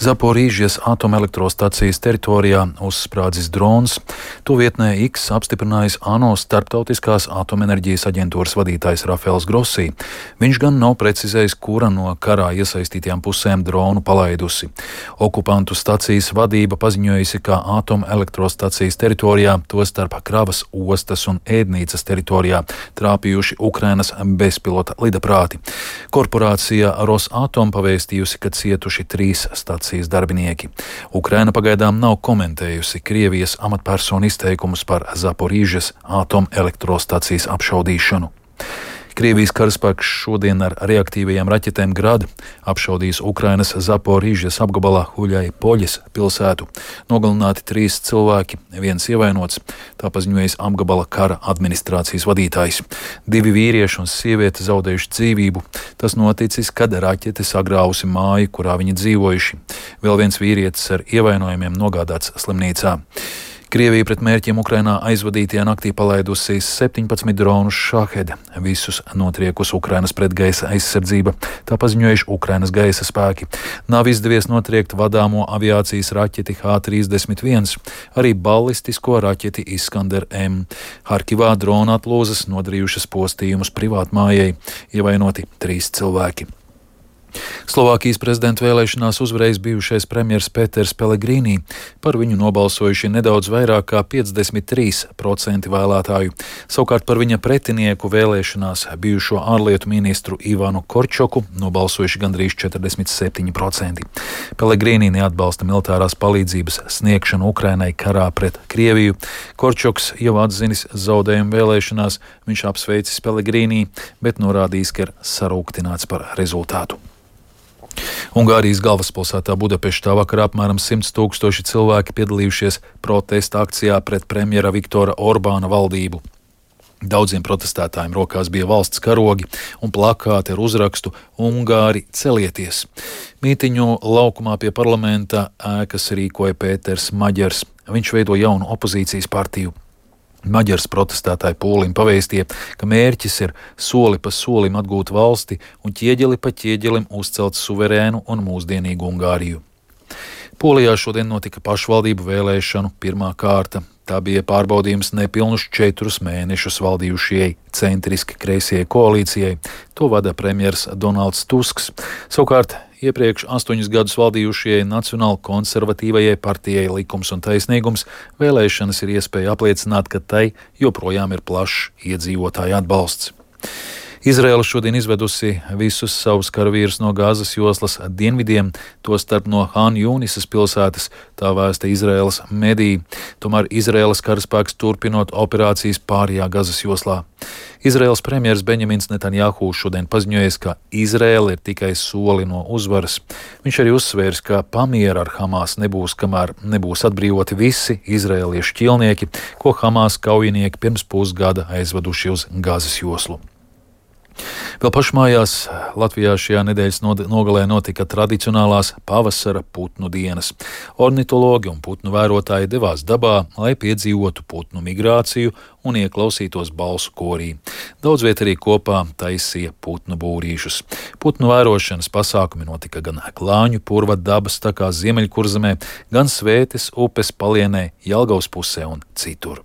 Zaporīžas atomelektrostacijas teritorijā uzsprādzis drons. To vietnē X apstiprinājis ANO Starptautiskās atomenerģijas aģentūras vadītājs Rafaels Grossi. Viņš gan nav precizējis, kura no karā iesaistītajām pusēm dronu palaidusi. Okupantu stacijas vadība paziņojusi, ka atomelektrostacijas teritorijā, tostarp kravas ostas un ēdnīcas teritorijā, trāpījuši Ukrainas bezpilota lidaprāti. Korporācija Rosatom pavēstījusi, ka cietuši 3 stacijas darbinieki. Ukraina pagaidām nav komentējusi Krievijas amatpersonu izteikumus par Zaporīžas atomelektrostacijas apšaudīšanu. Krievijas karaspēks šodien ar reaktīvajām raķetēm Grad apšaudījis Ukrainas Zaporīžas apgabalā Huļai-Poļas pilsētu. Nogalināti 3 cilvēki, 1 ievainots, tā paziņojis apgabala kara administrācijas vadītājs. 2 vīrieši un sieviete zaudējuši dzīvību. Tas noticis, kad raķete sagrāvusi māju, kurā viņi dzīvojuši. Vēl viens vīrietis ar ievainojumiem nogādāts slimnīcā. Krievija pret mērķiem Ukrainā aizvadītajā naktī palaidusi 17 dronus Šahed, visus notriekusi Ukrainas pretgaisa aizsardzība, tā paziņojuši Ukrainas gaisa spēki. Nav izdevies notriekt vadāmo aviācijas raķeti H-31, arī ballistisko raķeti Iskander M. Harkivā drona atlūzas nodarījušas postījumus privātmājai, ievainoti 3 cilvēki. Slovākijas prezidenta vēlēšanās uzvarējis bijušais premjers Peters Pellegrīni. Par viņu nobalsojuši nedaudz vairāk kā 53% vēlētāju. Savukārt par viņa pretinieku vēlēšanās bijušo ārlietu ministru Ivanu Korčoku nobalsojuši gandrīz 47%. Pellegrīni neatbalsta militārās palīdzības sniegšanu Ukrainai karā pret Krieviju. Korčoks jau atzinis zaudējumu vēlēšanās, viņš apsveicis Pellegrīni, bet norādījis, ka ir sarūktināts par rezultātu. Ungārijas galvaspilsētā Budapeštā vakarā apmēram 100 000 cilvēki piedalījušies protesta akcijā pret premjera Viktora Orbāna valdību. Daudziem protestētājiem rokās bija valsts karogi un plakāti ar uzrakstu Ungāri celieties. Mītiņu laukumā pie parlamenta ēkas rīkoja Pēters Maģers. Viņš veido jaunu opozīcijas partiju. Maģars protestētāju pūlim pavēstīja, ka mērķis ir soli pa solim atgūt valsti un ķieģeli pa ķieģelim uzcelt suverēnu un mūsdienīgu Ungāriju. Polijā šodien notika pašvaldību vēlēšanu pirmā kārta. Tā bija pārbaudījums nepilnus 4 mēnešus valdījušajai centriski kreisajai koalīcijai. To vada premjers Donalds Tusks. Savukārt iepriekš 8 gadus valdījušajai nacionāli konservatīvajai partijai Likums un taisnīgums vēlēšanas ir iespēja apliecināt, ka tai joprojām ir plašs iedzīvotāju atbalsts. Izraela šodien izvedusi visus savus karavīrus no Gāzes joslas dienvidiem, tostarp no Han Jūnisas pilsētas, tā vēsta Izraēlas mediji. Tomēr Izraēlas karaspēks turpinot operācijas pārējā Gāzes joslā. Izraēlas premjers Benjamins Netanjahu šodien paziņojies, ka Izraēla ir tikai soli no uzvaras. Viņš arī uzsvērs, ka pamiera ar Hamas nebūs, kamēr nebūs atbrīvoti visi izraēliešu ķilnieki, ko Hamas kaujinieki pirms pusgada aizveduši uz Gāzes joslu. Vēl pašmājās Latvijā šajā nedēļas nogalē notika tradicionālās pavasara putnu dienas. Ornitologi un putnu vērotāji devās dabā, lai piedzīvotu putnu migrāciju un ieklausītos balsu korī. Daudz viet arī kopā taisīja putnu būrīšus. Putnu vērošanas pasākumi notika gan Klāņu purva dabas takā Ziemeļkurzemē, gan Svētes upes palienē, Jelgavas pusē un citur.